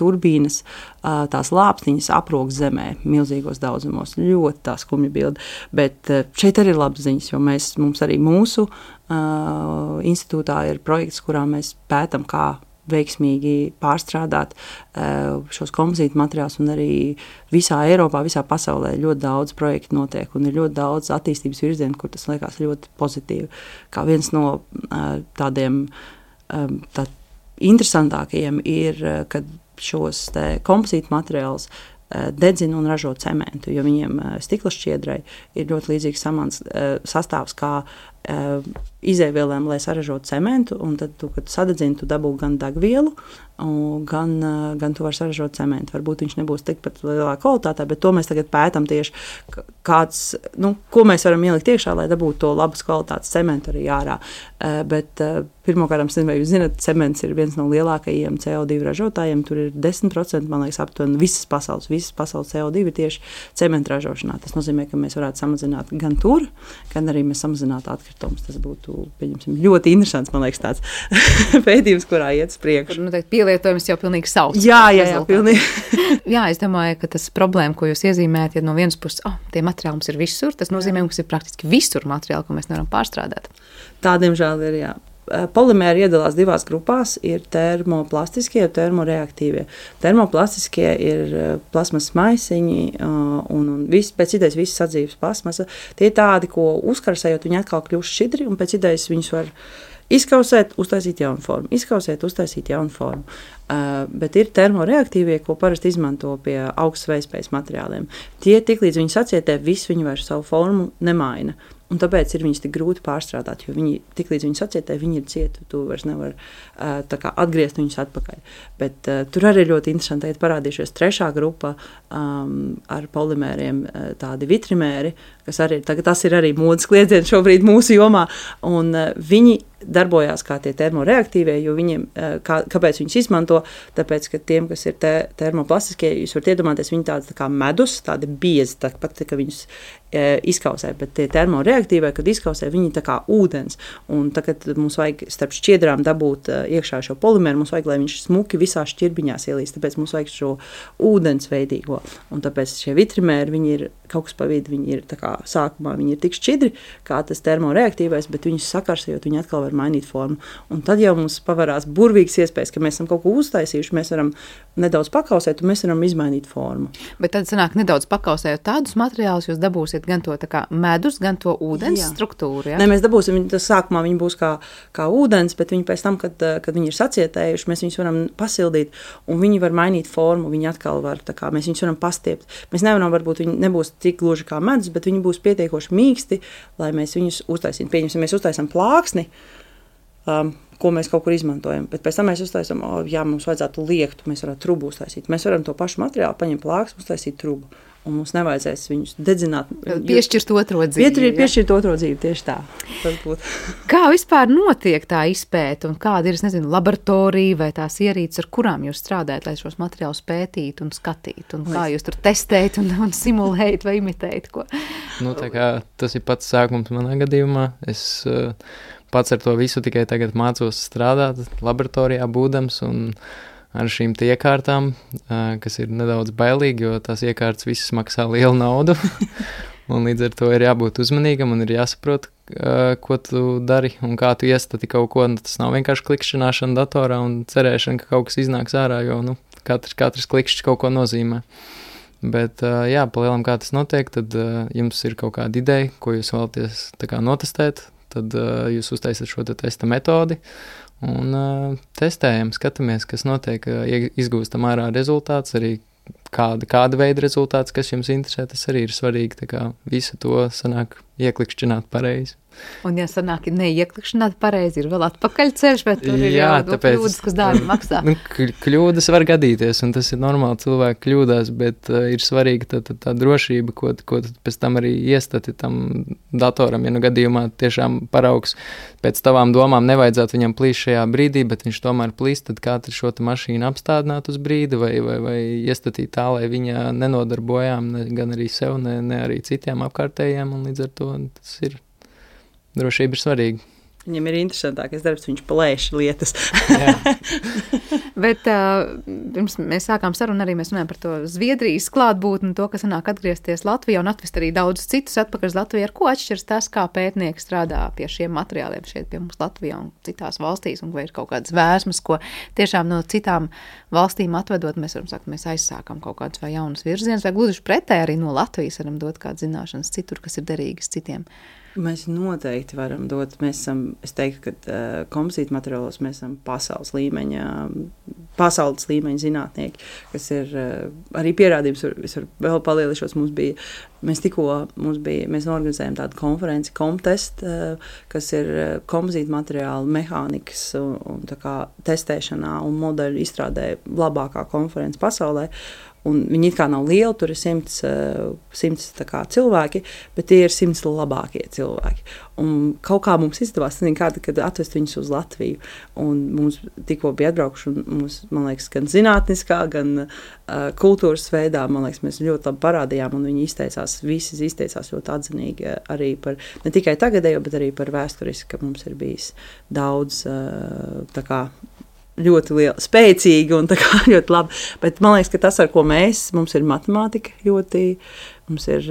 S6: turbīnas, uh, tās lāpstiņas aprok zemē milzīgos daudzumos. Ļoti tā skumja bilde, bet uh, šeit arī ir labas ziņas, jo mēs, mums arī mūsu uh, institūtā ir projekts, kurā mēs pētam, kā veiksmīgi pārstrādāt uh, šos kompozītu materiālus, un arī visā Eiropā, visā pasaulē ļoti daudz projektu notiek, un ir ļoti daudz attīstības virzienu, kur tas liekas ļoti pozitīvi. Kā viens no uh, tādiem um, tā interesantākajiem ir, uh, kad šos te kompozītu materiālus uh, dedzina un ražo cementu, jo viņiem uh, stikla šķiedrai ir ļoti līdzīgs samans, uh, sastāvs kā uh, izēvielēm, lai saražotu cementu, un tad, tu, kad tu sadedzini, tu dabū gan degvielu, gan, gan tu vari saražot cementu. Varbūt viņš nebūs tikpat lielā kvalitātē, bet to mēs tagad pētam tieši, kāds, nu, ko mēs varam ielikt iekšā, lai dabūtu to labas kvalitātes cementu arī ārā. Bet pirmkārt, vai jūs zināt, cements ir viens no lielākajiem C O divi ražotājiem, tur ir desmit procenti, man liekas, aptuveni visas pasaules, visas pasaules C O divi ir tieši cementu ražošanā. Tas nozīmē, ka mēs varētu samazināt gan tur, gan arī mēs samazinātu atkritumus. Tas būtu pieņemsim, ļoti interesants, man liekas, tāds pētījums, kurā iet uz priekšu.
S2: Nu, teikt, pielietojums jau pilnīgi sauc.
S6: Jā, jā, jā, pilnīgi.
S2: Jā, es domāju, ka tas problēma, ko jūs iezīmējat, ja no vienas puses, oh, tie materiāli mums ir visur, tas nozīmē, ka ir praktiski visur materiāli, ko mēs nevaram pārstrādāt.
S6: Tā, diemžēl, ir, jā. Polimēri iedalās divās grupās, ir termoplastiskie un termoreaktīvie. Termoplastiskie ir plasmas maisiņi un, un viss, pēc idejas visas sadzīves plasmasa. Tie ir tādi, ko uzkarsējot, viņi atkal kļūst šķidri, un pēc idejas viņus var izkausēt, uztaisīt jaunu formu. Izkausēt, uztaisīt jaunu formu. Uh, bet ir termoreaktīvie, ko parasti izmanto pie augstas vējspējas materiāliem. Tie tik līdz viņi sacietē, visu viņi vairs savu formu nemaina. Un tāpēc ir viņus tik grūti pārstrādāt, jo viņi tik līdz viņi sacietē, viņi ir cieti, tu vairs nevar uh, tā kā atgriezt viņus atpakaļ. Bet uh, tur arī ļoti interesanti, ka parādījušies trešā grupa um, ar polimēriem, uh, tādi vitrimēri, kas arī, tagad tas ir arī modes kliedziens šobrīd mūsu jomā, un uh, viņi darbojās kā tie termoreaktīvie, jo viņiem, uh, kā, kāpēc viņus izmanto, tāpēc, ka tiem, kas ir te, termoplastiskie, jūs varat iedomāties, viņi tādi tā kā medus, tādi biezi, tā pat, ka viņus uh, izkausē, bet tie termoreaktīvie, kad izkausē, viņi tā kā ūdens, un tagad mums vajag starp šķiedrām dabūt uh, iekšā šo polimēru, mums vajag, lai viņš smuki visā šķirbiņās ielīst, tāpēc mums vajag šo ūdensveidīgo, un tāpēc šie vitrimēri, viņi ir kaut kas pa vidu, viņi ir tā kā sākumā, viņi ir tik šķidri, kā tas termoreaktīvais, bet viņus sakarsējot, viņi atkal var mainīt formu. Un tad jau mums pavarās burvīgas iespējas, ka mēs esam kaut ko uztaisījuši, mēs varam nedaudz pakausēt, un mēs varam izmainīt formu.
S2: Bet tad sanāk nedaudz pakausējot tādus materiālus, jūs dabūsiet gan to tā kā medus, gan to ūdens jā. Struktūru. Ja?
S6: Nē, mēs dabūsim, tas sākumā viņi būs kā, kā ūdens, bet viņi pēc tam, kad, kad viņi ir sacietējuši, mēs viņus varam pasildīt, un viņi var mainīt formu, viņi atkal var, tā kā mēs viņus varam pastiept. Mēs nevaram, varbūt viņi nebūs tik gluži kā medus, bet viņi būs pietiekoši mīksti, lai mēs viņus uztaisītu. Pieņemsim, mēs uztaisam plāksni, um, ko mēs kaut kur izmantojam, bet pēc tam mēs uztaisam, oh, jā, mums vajadzētu liektu, mēs varētu trubu uztaisīt. Mēs varam to pašu materiālu paņemt plāksni, uztaisīt trubu, un mums nevajadzēs viņus dedzināt.
S2: Piešķirt otro dzīvi.
S6: Pietri, piešķirt otro dzīvi, tieši tā.
S2: Kā vispār notiek tā izpēta, un kāda ir, es nezinu, laboratorija vai tās ierīces, ar kurām jūs strādājat, lai šos materiālus pētītu un skatītu, un kā jūs tur testējat un, un simulējat vai imitējat ko?
S7: Nu, tā kā tas ir pats sākums manā gadījumā. Es uh, pats ar to visu tikai tagad mācos strādāt laboratorijā būdams, un ar šīm te iekārtām, kas ir nedaudz bailīgi, jo tās iekārtas visas maksā lielu naudu. Un līdz ar to ir jābūt uzmanīgam un ir jāsaprot, ko tu dari un kā tu iestati kaut ko. Tas nav vienkārši klikšķināšana datorā un cerēšana, ka kaut kas iznāks ārā, jo nu, katrs, katrs klikšķis kaut ko nozīmē. Bet, jā, palielam kā tas notiek, tad jums ir kaut kāda ideja, ko jūs vēlaties tā kā notestēt, tad jūs uztaisat šo te testa metodi un testējam, skatāmies, kas notiek, izgūstam ārā rezultāts, arī kāda, kāda veida rezultāts, kas jums interesē, tas arī ir svarīgi, tā kā visu to sanāk ieklikšķināt pareizi.
S2: Un, ja sanāk neieklikšķināt pareizi, ir vēl atpakaļ ceļš, bet tur ir
S7: Jā,
S2: jau
S7: tāpēc,
S2: kļūdas, kas dārgi maksā.
S7: Nu, kļūdas var gadīties, un tas ir normāli, cilvēki kļūdās, bet uh, ir svarīgi tā, tā, tā drošība, ko, ko pēc tam arī iestati tam datoram, ja nu gadījumā tiešām paraugs pēc tavām domām nevajadzētu viņam plīst šajā brīdī, bet viņš tomēr plīst, tad kā tad šo te mašīnu apstādināt uz brīdi vai, vai, vai iestatīt tā, lai viņa nenodarbojām ne, gan arī sev, ne, ne arī citiem apkārtējiem, un līdz ar to tas ir. Drošība ir svarīga.
S6: Viņam ir interesantākais darbs, viņš plēš lietas.
S2: Bet uh, pirms mēs sākām sarunu, arī mēs runājam par to Zviedrijas klātbūtni, to, kas sanāk atgriezties Latvijā un atvest arī daudzus citus atpakaļ uz Latviju. Ar ko atšķiras tas, kā pētnieki strādā pie šiem materiāliem šeit pie mums Latvijā un citās valstīs, un vai ir kaut kādas vēsmas, ko tiešām no citām valstīm atvedot, mēs varam sakt, mēs aizsākam kaut kādus vai jaunus virzienus, vai gluži pretēji arī no Latvijas varam dot kādas zināšanas citur, kas ir derīgas citiem.
S6: Mēs noteikti varam dot. Mēs esam, es teiktu, ka uh, kompozīta materiālos mēs esam pasaules līmeņa, pasaules līmeņa zinātnieki, kas ir uh, arī pierādījums, es varu vēl palielīšos, mums bija, mēs tikko, mums bija, mēs organizējam tādu konferenci, Comtest, uh, kas ir uh, kompozīta materiālu mehānikas un, un tā kā testēšanā un modeļu izstrādē labākā konference pasaulē. Un viņi it kā nav lieli, tur ir simts, simts tā kā cilvēki, bet tie ir simts labākie cilvēki. Un kaut kā mums izdevās, kāda, kad atvest viņus uz Latviju. Un mums tikko bija atbraukuši, un mums, man liekas, gan zinātniskā, gan uh, kultūras veidā, man liekas, mēs ļoti labi parādījām, un viņi izteicās, visi izteicās ļoti atzinīgi arī par, ne tikai tagadējo, bet arī par vēsturiski, ka mums ir bijis daudz uh, tā kā ļoti liela, spēcīga un tā kā ļoti labi. Bet man liekas, ka tas, ar ko mēs, mums ir matemātika ļoti, mums ir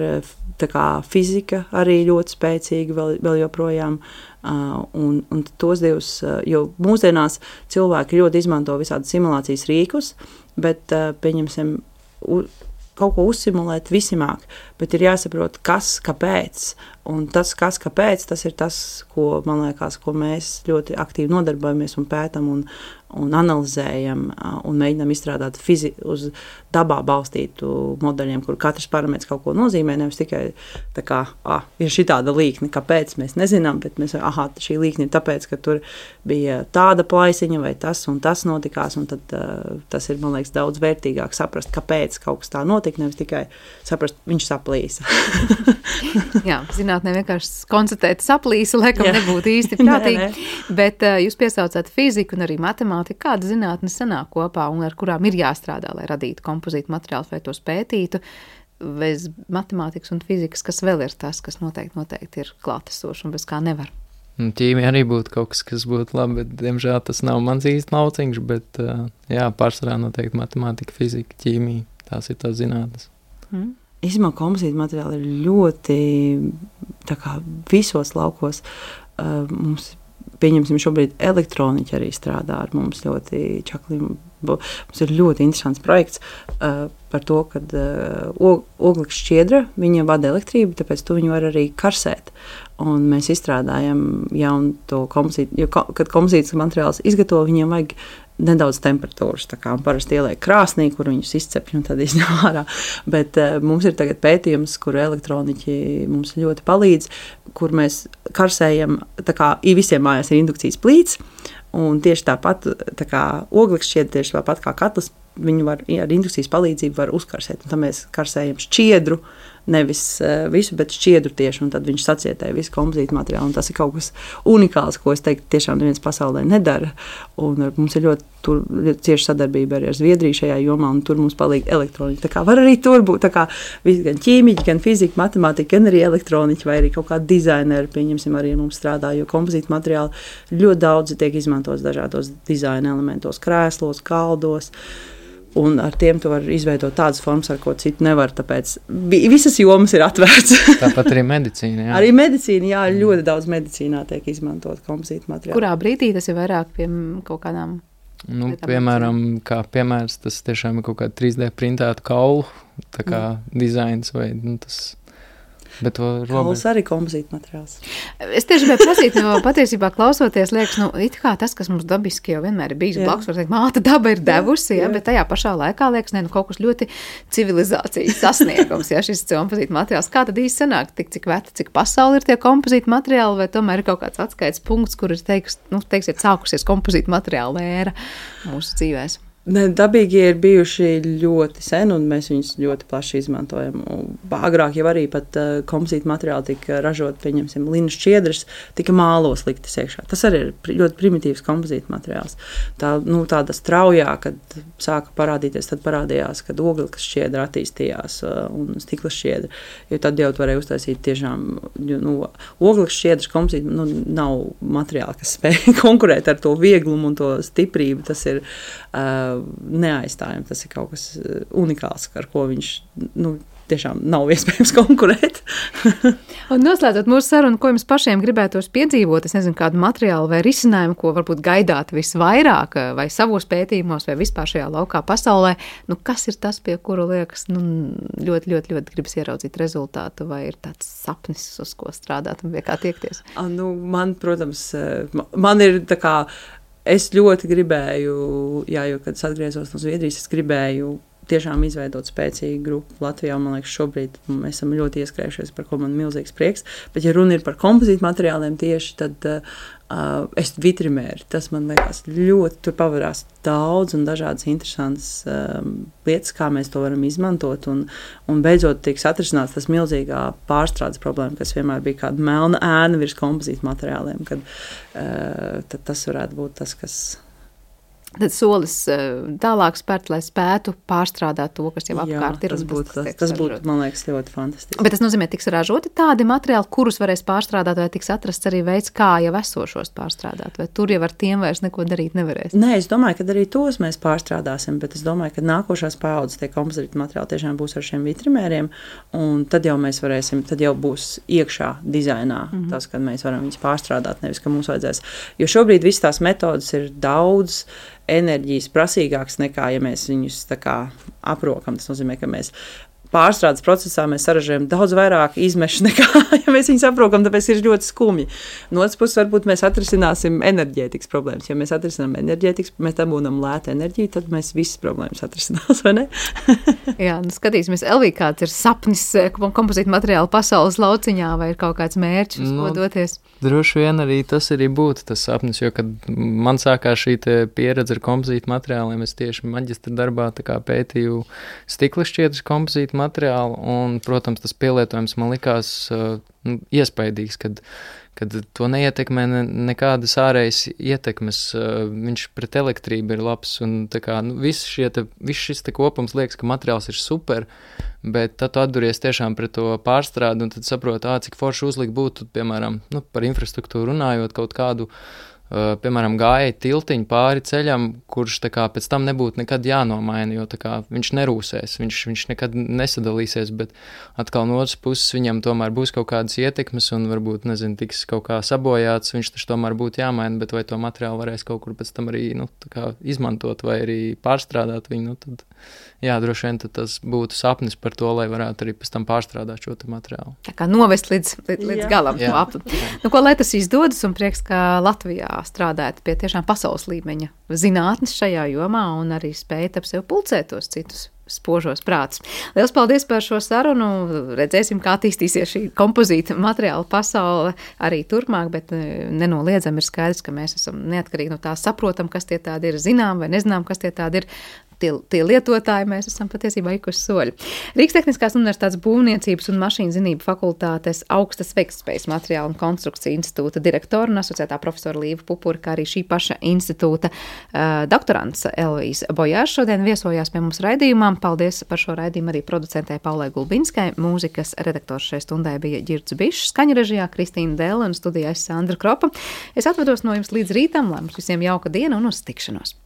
S6: tā kā fizika arī ļoti spēcīga vēl, vēl joprojām. Uh, un, un tos divus, uh, jo mūsdienās cilvēki ļoti izmanto visādi simulācijas rīkus, bet, uh, pieņemsim, u, kaut ko uzsimulēt visimāk, bet ir jāsaprot, kas, kāpēc. Un tas, kas, kāpēc, tas ir tas, ko, man liekas, ko mēs ļoti aktīvi nodarbojamies un pētam un, un analizējam un mēģinām izstrādāt fizi, uz dabā balstītu modeļiem, kur katrs parametrs kaut ko nozīmē, nevis tikai tā kā, ah, ir šitāda līkne, kāpēc mēs nezinām, bet mēs, aha, šī līkne ir tāpēc, ka tur bija tāda plaisiņa vai tas un tas notikās, un tad uh, tas ir, man liekas, daudz vērtīgāk saprast, kāpēc kaut kas tā notika, nevis tikai saprast, viņš saplīsa.
S2: Jā, zinātnē vienkārši konstatēt saplīsa, laikam nebūtu īsti prātīgi, nē, nē. Bet uh, jūs piesaucāt fiziku un arī matemātiku, kāda zinātne sanāk kopā un ar kurām ir jāstrādā, lai radītu kompozītu materiālus vai tos pētītu, bez matemātikas un fizikas, kas vēl ir tas, kas noteikti, noteikti ir klātesoši un bez kā nevar.
S7: Ķīmija arī būtu kaut kas, kas būtu labi, bet, diemžēl, tas nav mans īsti lauciņš, bet, jā, pārsvarā noteikti matemātika, fizika, ķīmija, tās ir tās zinātnes.
S6: Mm. Īsumā kompozīta materiāli ir ļoti, tā kā visos laukos, uh, mums, pieņemsim, šobrīd elektroniķi arī strādā ar mums ļoti čakliem. Mums ir ļoti interesants projekts uh, par to, ka uh, oglekļa šķiedra, viņa vada elektrību, tāpēc tu viņu var arī karsēt. Un mēs izstrādājam jaunu to kompozītu, jo, kad kompozītas materiāls izgatavo, viņiem vajag nedaudz temperatūras, tā kā parasti ieliek krāsnī, kur viņus izcepj un tad izņem ārā. Bet uh, mums ir tagad pētījums, kur elektroniķi mums ļoti palīdz, kur mēs karsējam, tā kā visiem mājās ir indukcijas plīts, un tieši tāpat, tā kā oglekļa šķiedra, tieši tāpat kā katls, viņu var ar indukcijas palīdzību var uzkarsēt. Un tad mēs karsējam šķiedru, nevis visu, bet šķiedru tieši, un tad viņš sacietēja visu kompozītu materiālu, un tas ir kaut kas unikāls, ko es teiktu, tiešām neviens pasaulē nedara, un mums ir ļoti, tur, ļoti cieša sadarbība arī ar Zviedriju šajā jomā, un tur mums palīg elektroniķi. Tā kā var arī tur būt, tā kā visi gan ķīmiķi, gan fizika, matemātika, gan arī elektroniķi, vai arī kaut kādi dizaineri, pieņemsim, arī mums strādā, jo kompozītu materiāli ļoti daudzi tiek izmantos dažādos dizaina elementos, krēslos, kaldos, un ar tiem tu var izveidot tādas formas, ar ko citu nevar, tāpēc visas jomas ir atvērts.
S7: Tāpat arī medicīna, jā.
S6: Arī medicīna, jā, ļoti daudz medicīnā tiek izmantot kompozītu materiālu.
S2: Kurā brīdī tas ir vairāk pie kaut kādām?
S7: Nu, piemēram, kā piemērs, tas tiešām ir kaut kāda trīs D printēta kaulu, tā kā mm. dizains vai, nu, tas... Bet
S6: kauls arī kompozīta materiāls.
S2: Es tieši gribēju prasīt, jo patiesībā klausoties, liekas, nu, it kā tas, kas mums dabiski jau vienmēr ir bijis blakus, var teikt, māte daba ir devusi, jā, jā. Bet tajā pašā laikā liekas, ne, nu, kaut kas ļoti civilizācijas sasniegums, ja šis kompozīta materiāls. Kā tad īsti sanāk, tik cik veta, cik pasauli ir tie kompozīta materiāli, vai tomēr ir kaut kāds atskaits punkts, kur ir teiks, nu, teiks, ir sākusies kompozīta materiāla ēra mūsu dzīvēs?
S6: Ne, dabīgie ir bijuši ļoti sen, un mēs viņus ļoti plaši izmantojam. Agrāk jau arī pat uh, kompozīta materiāli tika ražot, pieņemsim, linas šķiedras, tika mālos liktas iekšā. Tas arī ir ļoti primitīvs kompozīta materiāls. Tā, nu, tāda straujā, kad sāka parādīties, tad parādījās, kad ogles šķiedra attīstījās uh, un stikla šķiedra, jo tad jau varēja uztaisīt tiešām, nu, ogles šķiedras kompozīta, nu, nav materiāli, kas spēj konkurēt ar to vieglumu un to stiprību. Tas ir uh, neaizstājami. Tas ir kaut kas unikāls, ar ko viņš, nu, tiešām nav iespējams konkurēt.
S2: Un noslēdzot mūsu sarunu, ko jums pašiem gribētos piedzīvot, es nezinu, kādu materiālu vai risinājumu, ko varbūt gaidāt visvairāk, vai savos pētījumos, vai vispār šajā laukā pasaulē, nu, kas ir tas, pie kuru liekas, nu, ļoti, ļoti, ļoti gribas ieraudzīt rezultātu, vai ir tāds sapnis, uz ko strādāt un pie kā tiekties?
S6: Nu, man, protams, man ir tā kā es ļoti gribēju, jā, jo, kad es atgriezos no Zviedrijas, es gribēju tiešām izveidot spēcīgu grupu Latvijā. Man liekas, šobrīd mēs esam ļoti ieskrējušies, par ko man milzīgs prieks. Bet, ja runa ir par kompozītu materiāliem tieši, tad uh, es vitrimēri. Tas man liekas ļoti, tur pavarās daudz un dažādas interesantas um, lietas, kā mēs to varam izmantot. Un, un beidzot tiks atrisināts tas milzīgā pārstrādes problēma, kas vienmēr bija kāda melna ēna virs kompozītu materiāliem. Kad, uh, tad tas varētu būt tas, kas...
S2: Tad solis tālāk spērt, lai spētu pārstrādāt to, kas jau apkārt ir.
S6: Jā, tas būtu, tas, tas būtu, man liekas, ļoti fantastiski.
S2: Bet tas nozīmē, tiks ražoti tādi materiāli, kurus varēs pārstrādāt, vai tiks atrasts arī veids, kā jau esošos pārstrādāt, vai tur jau ar tiem vairs neko darīt nevarēs?
S6: Nē, es domāju, ka arī tos mēs pārstrādāsim, bet es domāju, ka nākošās paaudzes tie kompozīti materiāli tiešām būs ar šiem vitrimēriem, un tad jau mēs varēsim, tad jau būs iekšā dizainā mm-hmm. tas, kad mēs varam viņus pārstrādāt, nevis, ka mums vajadzēs. Jo šobrīd viss tās metodas ir daudz enerģijas prasīgāks nekā, ja mēs viņus tā kā aprokam. Tas nozīmē, ka mēs pārstrādes procesā mēs saražojam daudz vairāk izmešu nekā, ja mēs viņus aprokam, tāpēc ir ļoti skumji. No otras puses, varbūt mēs atrisināsim enerģētikas problēmas. Ja mēs atrisinām enerģētikas, mēs dabūnam lētu enerģiju, tad mēs visas problēmas atrisinās, vai ne?
S2: Jā, nu skatīsimies, Elvija, kāds ir sapnis kompozītu materiālu pasaules lauciņā, vai ir kaut kāds mērķis, uz ko doties?
S7: Droši vien arī tas arī būtu tas sapnis, jo, kad man sākās šī pieredze ar kompozītu materiāliem, es tieši maģistra darbā tā kā pētīju stikla šķiedras kompozītu materiālu, un, protams, tas pielietojums man likās uh, nu, iespaidīgs, kad, kad to neietekmē ne, nekādas ārējas ietekmes, uh, viņš pret elektrību ir labs, un tā kā, nu, viss, šie te, viss šis te kopums liekas, ka materiāls ir super, bet tad tu atduries tiešām pret to pārstrādi, un tad saproti, ā, cik forši uzlikt būtu, piemēram, nu, par infrastruktūru runājot kaut kādu, Uh, piemēram, gāja tiltiņu pāri ceļam, kurš tā kā pēc tam nebūtu nekad jānomaina, jo tā kā viņš nerūsēs, viņš, viņš nekad nesadalīsies, bet atkal no otras puses viņam tomēr būs kaut kādas ietekmes un varbūt, nezinu, tiks kaut kā sabojāts, viņš taču tomēr būtu jāmaina, bet vai to materiālu varēs kaut kur pēc tam arī, nu, tā kā izmantot vai arī pārstrādāt viņu, nu, tad, jā, droši vien tad tas būtu sapnis par to, lai varētu arī pēc tam pārstrādāt šo te materiālu.
S2: Tā kā novest līdz, līdz, līdz galam.
S7: Jā.
S2: Nu, ko lai tas izdodas un prieks, ka Latvijā strādājat pie tiešām pasaules līmeņa zinātnes šajā jomā un arī spējat ap sev pulcēt tos citus spožos prātus. Liels paldies par šo sarunu. Redzēsim, kā attīstīsies šī kompozīta materiāla pasaule arī turpmāk, bet nenoliedzam ir skaidrs, ka mēs esam neatkarīgi no tā saprotam, kas tie tādi ir, zinām vai nezinām, kas tie tādi ir. tie, tie lietotāji, mēs esam patiesībā ikuši soļi. Rīgas Tehniskās universitātes būvniecības un mašīnzinību fakultātes augstas veiktspējas materiālu un konstrukciju institūta direktora un asociētā profesora Līva Pupura, kā arī šī paša institūta uh, doktorants Elvīze Bojārs šodien viesojās pie mums raidījumā. Paldies par šo raidījumu arī producentē Paulai Gulbinskai. Mūzikas redaktors šai stundai bija Ģirds Bišs, skaņu režijā Kristīna Dēle un studijā Sandra Kropa. Es atvados no jums līdz rītam, lai mums visiem jauka diena un uz tikšanos.